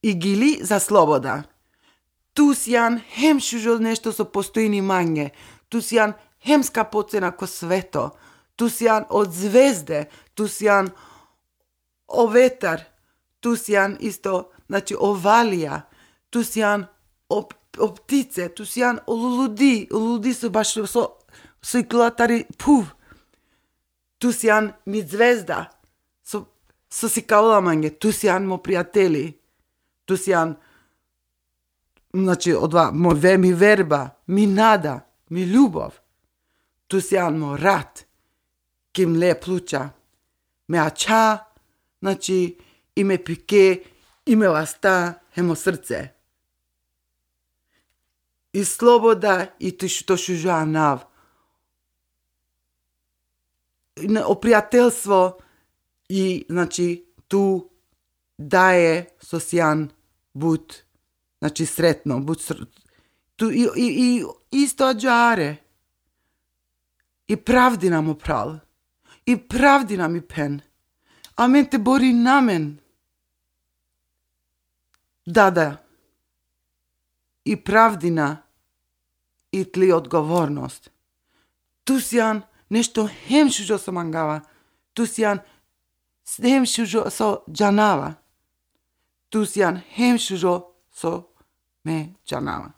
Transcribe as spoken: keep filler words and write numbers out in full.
и гили за слобода. Тус јан хем шужо нешто со постојни манје. Тус јан хем скапоцена ко свето. Тус јан од звезде. Тус јан о ветар. Тус јан исто, значи о валија. Тус јан о, о птице. Тус јан о лулуди. О лулуди со баш со со иклатари пув. Тус јан ми звезда. Со со сикаола манје. Тус јан мо пријатели. Тус јан значи одва мо ве ми верба, ми нада, ми љубов. Тус јан мо рат. Ким ле плуча. Ме ача, значи и ме пике, и ме ласта, емо срце. И слобода и ти што шужа нав. О пријателство и, значи, ту дае сосјан буд, значи, сретно, буд ср... ту, и, и, и исто аджаре. И правдина му прал. И правдина ми пен. А мен те бори на мен. Дада. И правдина и тли одговорност. Тус јан нешто хем шужо со мангава. Тус јан хем шужо со џанава. Тус јан хем шужо со ме џанава.